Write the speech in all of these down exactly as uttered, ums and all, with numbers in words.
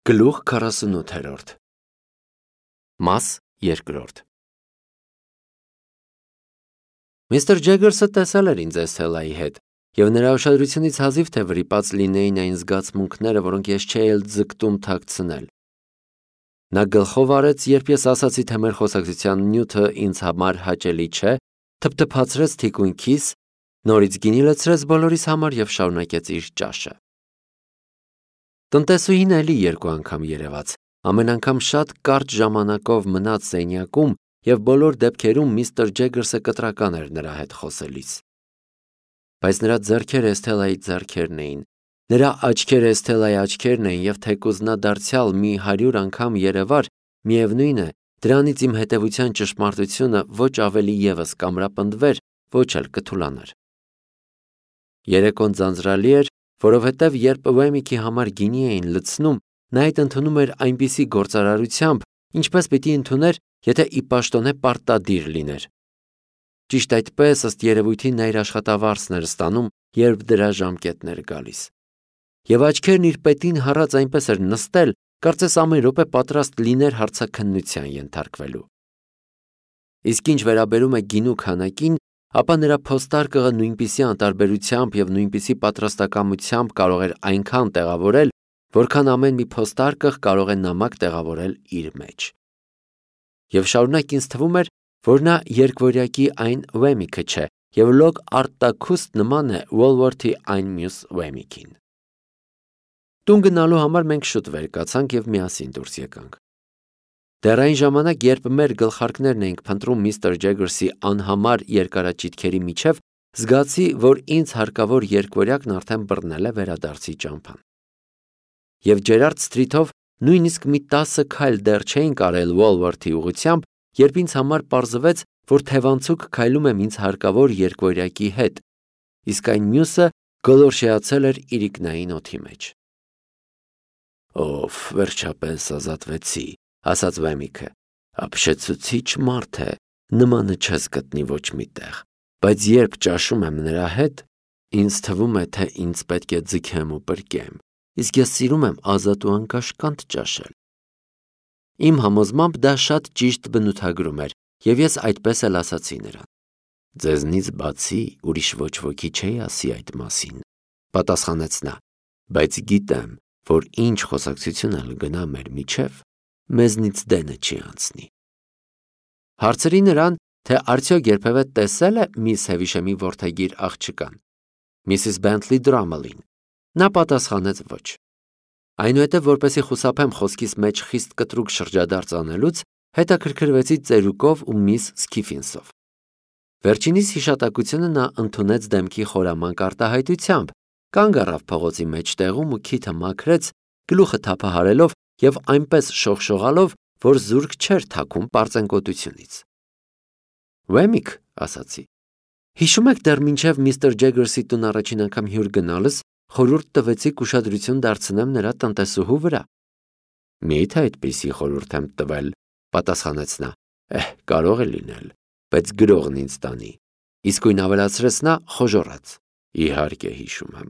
Գլուխ քառասունութերորդ Մաս երկրորդ Միստր Ջեգերսը տեսել էր ինձ Էսթելայի հետ, և նրա ուշադրությունից հազիվ թե վրիպած լինեին այն զգացմունքները, որոնք ես չէի էլ ձգտում թաքցնել։ Նա գլխով արեց, երբ ես ասացի, թե մեր խոսակցության նյութը ինձ համար հաճելի չէ, թփթփացրեց թիկունքիս, նորից գինի լցրեց բոլորիս համար և շարունակեց իր ճաշը։ Տնտեսուհին էլի երկու անգամ երևաց, ամեն անգամ շատ կարճ ժամանակով մնաց սենյակում և բոլոր դեպքերում միստր Ջեգերսը կտրական էր նրա հետ խոսելիս։ Բայց նրա ձեռքերը Էսթելայի ձեռքերն էին, նրա աչքերը Էսթելայի աչքերն էին և թեկուզ նա դարձյալ մի հարյուր անգամ երևար, միևնույն է, դրանից իմ հետևության ճշմարտությունը ոչ ավելի ևս կամրապնդվեր, ոչ էլ կթուլանար։ Երեկոն ձանձրալի էր, որովհետև երբ Ուեմիքի համար գինի էին լցնում, նա այդ ընդունում էր այնպիսի գործարարությամբ, ինչպես պիտի ընդուներ, եթե ի պաշտոնե պարտադիր լիներ։ Ճիշտ այդպես, ըստ երևույթին, նա իր աշխատավարձն էր ստանում, երբ դրա ժամկետն էր գալիս։ Եվ աչքերն իր պետին հառած այնպես էր նստել, կարծես ամեն րոպե պատրաստ լիներ հարցաքննության ենթարկվելու։ Իսկ ինչ վերաբերում է գինու քանակին, ապա նրա փոստարկղը նույնպիսի անտարբերությամբ և նույնպիսի պատրաստակամությամբ կարող էր այնքան տեղավորել, որքան ամեն մի փոստարկղ կարող է նամակ տեղավորել իր մեջ։ Եվ շարունակ ինձ թվում էր, որ նա երկվորյակի այն Ուեմիքը չէ և լոկ արտաքուստ նման է Ուոլվորթի այն մյուս Ուեմիքին։ Տուն գնալու համար մենք շուտ վեր կացանք և միասին դուրս եկանք։ Դեռ այն ժամանակ, երբ մեր գլխարկներն էինք փնտրում միստր Ջեգերսի անհամար երկարաճիթքերի միջև, զգացի, որ ինձ հարկավոր երկվորյակն արդեն բռնել է վերադարձի ճամփան։ Եվ Ջերարդ Սթրիթով նույնիսկ մի տասը քայլ դեռ չէինք արել Ուոլվորթի ուղղությամբ, երբ ինձ համար պարզվեց, որ թևանցուկ քայլում եմ ինձ հարկավոր երկվորյակի հետ, իսկ այն մյուսը գոլորշիացել էր իրիկնային օդի մեջ։ «Օֆ, վերջապես ազատվեցի», ասաց Ուեմիքը, «ապշեցուցիչ մարդ է, նմանը չես գտնի ոչ մի տեղ, բայց երբ ճաշում եմ նրա հետ, ինձ թվում է, թե ինձ պետք է ձգեմ ու պրկեմ, իսկ ես սիրում եմ ազատ ու անկաշկանդ ճաշել»։ Իմ համոզմամբ դա շատ ճիշտ բնութագրում էր, և ես այդպես էլ ասացի նրան։ «Ձեզնից բացի ուրիշ ոչ ոքի չէի ասի այդ մասին», պատասխանեց նա, «բայց գիտեմ, որ ինչ խոսակցություն էլ գնա մեր միջև, մեզնից դենը չի անցնի»։ Հարցրի նրան, թե արդյոք երբևէ տեսել է միս Հևիշեմի որդեգիր աղջկան, Միսիս Բենթլի Դրամելին։ Նա պատասխանեց ոչ։ Այնուհետև, որպեսզի խուսափեմ խոսքիս մեջ խիստ կտրուկ շրջադարձ անելուց, հետաքրքրվեցի ծերուկով ու միս Սքիֆինսով։ Վերջինիս հիշատակությունը նա ընդունեց դեմքի խորամանկ արտահայտությամբ, կանգ առավ փողոցի մեջտեղում ու քիթը մաքրեց, գլուխը թափահարելով և այնպես շողշողալով, որ զուրկ չէր թաքում պարծենկոտությունից։ «Ուեմիք», ասացի, «հիշում եք դեռ մինչև միստր Ջեգերսի տուն առաջին անգամ հյուր գնալս խորհուրդ տվեցիք ուշադրություն դարձնեմ նրա տնտեսուհու վրա»։ «Մի՞թե այդպիսի խորհուրդ եմ տվել», պատասխանեց նա, «Էհ, կարող է լինել, բայց գրողն ինձ տանի»։ Իսկույն ավելացրեց նա խոժոռաց. «Իհարկե հիշում եմ,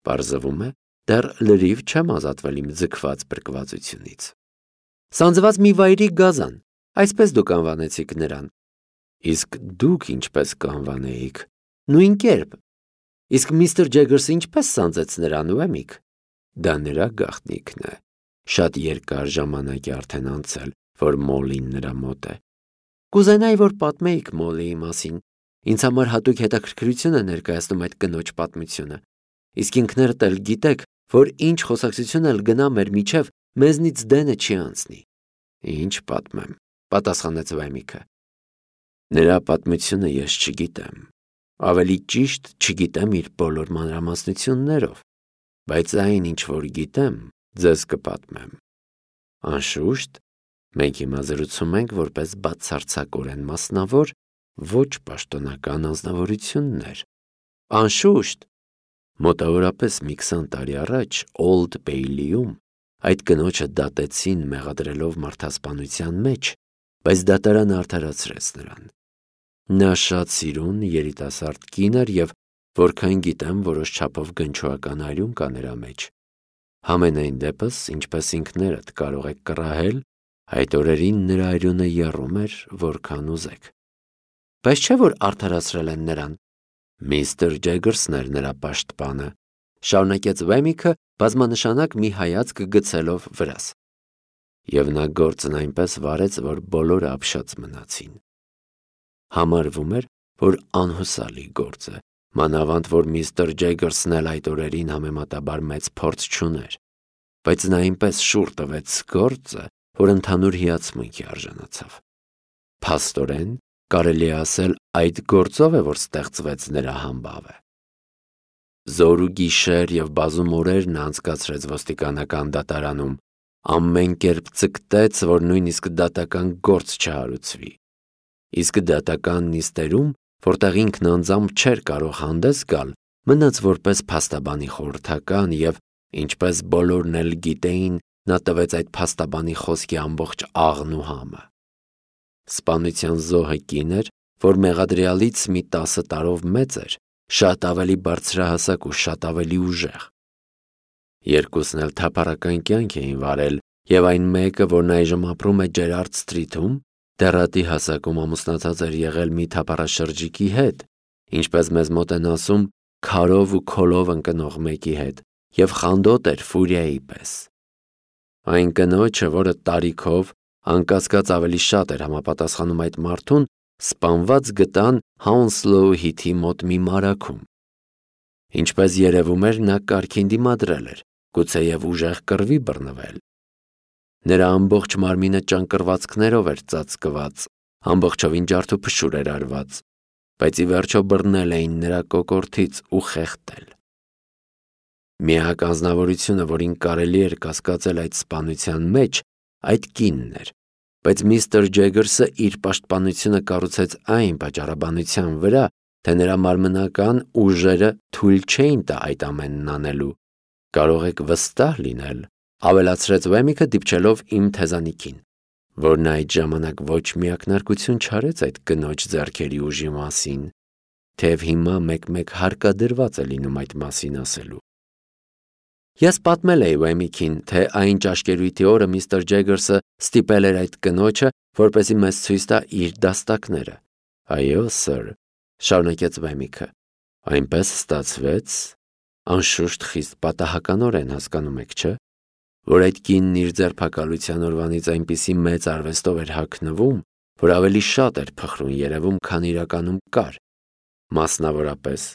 պարզվում է, դեռ լրիվ չեմ ազատվել իմ ձգված փրկվածությունից»։ «Սանձված մի վայրի գազան, այսպես դուք անվանեցիք նրան»։ «Իսկ դուք ինչպես կանվանեիք»։ «Նույն կերպ»։ «Իսկ միստր Ջեգերսը ինչպես սանձեց նրան, Ուեմիք»։ «Դա նրա գաղտնիքն է, շատ երկար ժամանակ է արդեն անցել, որ Մոլլին նրա մոտ է»։ «Կուզենայի, որ պատմեիք Մոլլիի մասին, ինձ համար հատուկ հետաքրքրություն է ներկայացնում այդ կնոջ պատմությունը, իսկ ինքներդ էլ գիտեք, որ ինչ խոսակցություն էլ գնա մեր միջև, մեզնից դենը չի անցնի»։ «Ինչ պատմեմ», պատասխանեց Ուեմիքը։ «Նրա պատմությունը ես չգիտեմ, ավելի ճիշտ չգիտեմ իր բոլոր մանրամասնություններով, բայց այն, ինչ որ գիտեմ, ձեզ կպատմեմ։ Անշուշտ, մենք հիմա զրուցում ենք որպես բացարձակորեն մասնավոր, ոչ պաշտոնական անձնավորություններ։ Անշուշտ, մոտավորապես մի քսան տարի առաջ Օլդ Բեյլիում այդ կնոջը դատեցին մեղադրելով մարդասպանության մեջ, բայց դատարանը արդարացրեց նրան։ Նա շատ սիրուն երիտասարդ կին էր և, որքան գիտեմ, որոշ չափով գնչուական արյուն կա նրա մեջ։ Համենայն դեպս, ինչպես ինքներդ կարող եք կռահել, այդ օրերին նրա այրունը եռում էր, որքան ուզեք։ Բայց չէ՞ որ արդարացրել են նրան։ Միստր Ջեգերսն էր նրա պաշտպանը, շարունակեց Վեմիքը բազմանշանակ մի հայացք գցելով վրաս։ Եվ նա գործն այնպես վարեց, որ բոլորը ապշած մնացին։ Համարվում էր, որ անհուսալի գործ է, մանավանդ որ միստր Ջեգերսն էլ այդ օրերին համեմատաբար մեծ փորձ չուներ, բայց նա այնպես շուռ տվեց գործը, որ ընդհանուր հիացմունքի արժանացավ։ Փաստորեն, կարելի է ասել, այդ գործով է, որ ստեղծվեց նրա համբավը։ Զոր ու գիշեր և բազում օրեր նա անցկացրեց ոստիկանական դատարանում, ամեն կերպ ձգտեց, որ նույնիսկ դատական գործ չհարուցվի։ Իսկ դատական նիստերում, որտեղ ինքն անձամբ չէր կարող հանդես գալ, մնաց որպես փաստաբանի խորհրդական և, ինչպես բոլորն էլ գիտեին, նա տվեց այդ փաստաբանի խոսքի ամբողջ աղն ու համը։ Սպանության զոհը կին էր, որ մեղադրյալից մի տասը տարով մեծ էր, շատ ավելի բարձրահասակ ու շատ ավելի ուժեղ։ Երկուսն էլ թափառական կյանք էին վարել, և այն մեկը, որն այժմ ապրում է Ջերարդ Սթրիթում, դեռատի հասակում ամուսնացած էր եղել մի թափառաշրջիկի հետ, ինչպես մեզ մոտ են ասում, քարով ու քոլով ընկնող մեկի հետ, և խանդոտ էր Ֆուրիայի պես։ Այն կնոջը, որը տարիքով, անկասկած ավելի շատ էր համապատասխանում այդ մարդուն, սպանված գտան Հաունսլոու հիթի մոտ մի մարաքում։ Ինչպես երևում էր, նա կարգին դիմադրել էր, գուցեև ուժեղ կռվի բռնվել։ Նրա ամբողջ մարմինը ճանկռվածքներով էր ծածկված, ամբողջովին ջարդուփշուր էր արված, բայց ի վերջո բռնել էին նրա կոկորդից ու խեղդել։ Միակ անձնավորությունը, որին կարելի էր կասկածել այդ սպանության մեջ, այդ կինն էր, բայց միստր Ջեգերսը իր պաշտպանությունը կառուցեց այն պատճառաբանության վրա, թե նրա մարմնական ուժերը թույլ չէին տա այդ ամենն անելու։ Կարող եք վստահ լինել, ավելացրեց Վեմիքը դիպչելով իմ թեզանիքին, որն այդ ժամանակ ոչ մի ակնարկություն չարեց այդ կնոջ ձեռքերի ուժի մասին, թեև հիմա մեկ-մեկ հարկադրված է լինում այդ մասին ասելու։ Ես պատմել էի Վեմիքին, թե այն ճաշկերույթի օրը միստր Ջեգերսը ստիպել էր այդ կնոջը, որպեսզի մեզ ցույց տա իր դաստակները։ Այո, սըր, շարունակեց Վեմիքը, այնպես ստացվեց, անշուշտ խիստ պատահականորեն, հասկանում եք, չէ՞, որ այդ կինն իր ձերբակալության օրվանից այնպիսի մեծ արվեստով էր հագնվում, որ ավելի շատ էր փխրուն երևում, քան իրականում կար։ Մասնավորապես,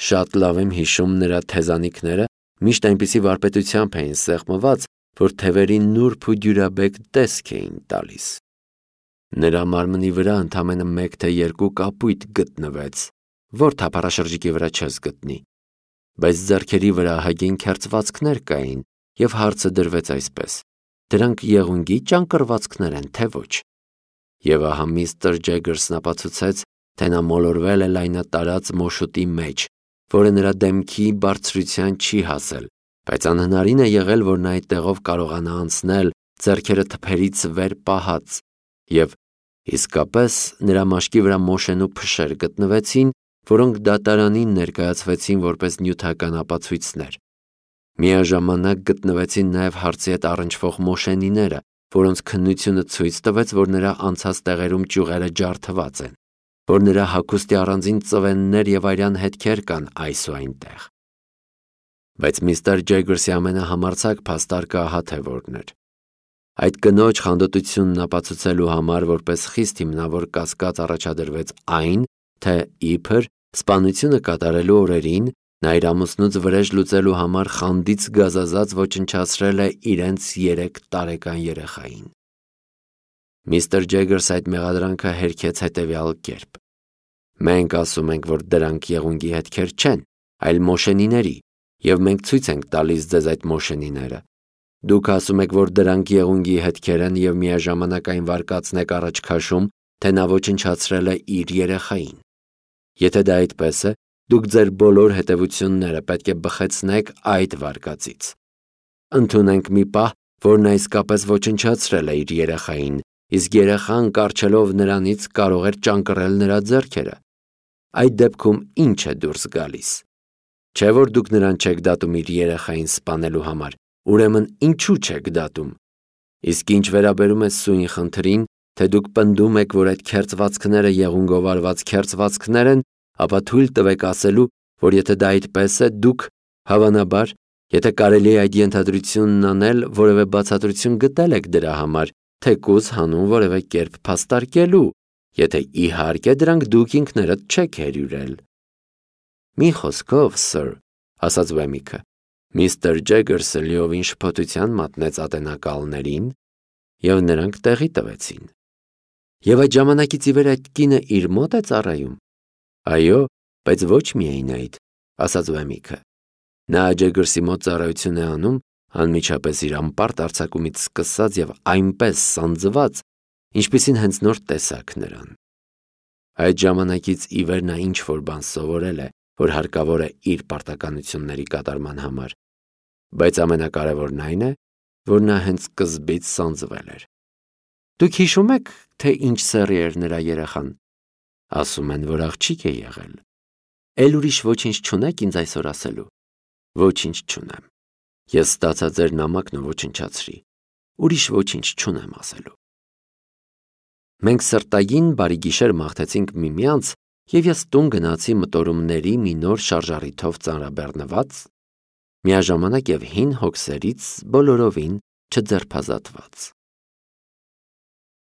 շատ լավ եմ հիշում նրա թեզանիքները միշտ այնպիսի վարպետությամբ էին սեղմված, որ թևերին նուրբ ու դյուրաբեկ տեսք էին տալիս։ Նրա մարմնի վրա ընդամենը մեկ թե երկու կապույտ գտնվեց, որ թափառաշրջիկի վրա չես գտնի, բայց ձեռքերի վրա ահագին քերծվածքներ կային, և հարցը դրվեց այսպես. դրանք եղունգի ճանկռվածքներ են, թե ոչ։ Եվ ահա միստր Ջեգերսն ապացուցեց, թե նա մոլորվել է լայնատարած մոշուտի մեջ, որը նրա դեմքի բարձրության չի հասել, բայց անհնարին է եղել, որ նա այդ տեղով կարողանա անցնել, ձեռքերը թփերից վեր պահած, և իսկապես նրա մաշկի վրա մոշենու փշեր գտնվեցին, որոնք դատարանին ներկայացվեցին որպես նյութական ապացույցներ։ Միաժամանակ գտնվեցին նաև հարցի հետ առնչվող մոշենիները, որոնց քննությունը ցույց տվեց, որ նրա անցած տեղերում ճյուղերը ջարդված են, որ նրա հագուստի առանձին ծվեններ և արյան հետքեր կան այս ու այնտեղ։ Բայց միստր Ջեգերսի ամենահամարձակ փաստարկը ահա թե որն էր։ Այդ կնոջ խանդոտությունն ապացուցելու համար որպես խիստ հիմնավոր կասկած առաջադրվեց այն, թե իբր սպանությունը կատարելու օրերին նա իր ամուսնուց վրեժ լուծելու համար խանդից գազազած ոչնչացրել է իրենց երեք տարեկան երեխային։ Միստր Ջեգերսը այդ մեղադրանքը հերքեց հետևյալ կերպ. Մենք ասում ենք, որ դրանք եղունգի հետքեր չեն, այլ մոշենիների, և մենք ցույց ենք տալիս ձեզ այդ մոշենիները։ Դուք ասում եք, որ դրանք եղունգի հետքեր են և միաժամանակ այն վարկածն եք առաջ քաշում, թե նա ոչնչացրել է իր երեխային։ Եթե դա այդպես է, դուք ձեր բոլոր հետևությունները պետք է բխեցնեք այդ վարկածից։ Ընդունենք մի պահ, որ նա իսկապես ոչնչացրել է իր երեխային, իսկ երեխան կառչելով նրանից կարող էր ճանկռել նրա ձեռքերը։ Այդ դեպքում ի՞նչ է դուրս գալիս։ Չէ՞ որ դուք նրան չեք դատում իր երեխային սպանելու համար, ուրեմն ինչու չեք դատում։ Իսկ ինչ վերաբերում է սույն խնդրին, թե դուք պնդում եք, որ այդ քերծվածքները եղունգով արված քերծվածքներ են, ապա թույլ տվեք ասելու, որ եթե դա այդպես է, դուք, հավանաբար, եթե կարելի է այդ ենթադրությունն անել, որևէ բացատրություն գտել եք դրա համար, թեկուզ հանուն որևէ կերպ փաստարկելու, եթե իհարկե դրանք դուք ինքներդ չեք հերյուրել։ Մի խոսքով, սըր, ասաց Վեմիքը, միստր Ջեգերսը լիովին շփոթության մատնեց ատենակալներին, և նրանք տեղի տվեցին։ Եվ այդ ժամանակից ի վեր այդ կինը իր մոտ է ծառայում։ Այո, բայց ոչ միայն այդ, ասաց Վեմիքը։ Նա Ջեգերսի մոտ ծառայություն է անում, անմիջապես իր անպարտ արձակումից սկսած և այնպես սանձված, ինչպիսին հենց նոր տեսաք նրան։ Այդ ժամանակից ի վեր նա ինչ-որ բան սովորել է, որ հարկավոր է իր պարտականությունների կատարման համար, բայց ամենակարևորն այն է, որ նա հենց սկզբից սանձվել էր։ Դուք հիշում եք, թե ինչ սեռի էր նրա երեխան։ Ասում են, որ աղջիկ է եղել։ Էլ ուրիշ ոչինչ չունեք ինձ այսօր ասելու։ Ոչինչ չունեմ։ Ես ստացա ձեր նամակն ու ոչնչացրի։ Ուրիշ ոչինչ չունեմ ասելու։ Մենք սրտագին բարի գիշեր մաղթեցինք միմյանց, և ես տուն գնացի մտորումների մի նոր շարժառիթով ծանրաբեռնված, միաժամանակ և հին հոգսերից բոլորովին չձերբազատված։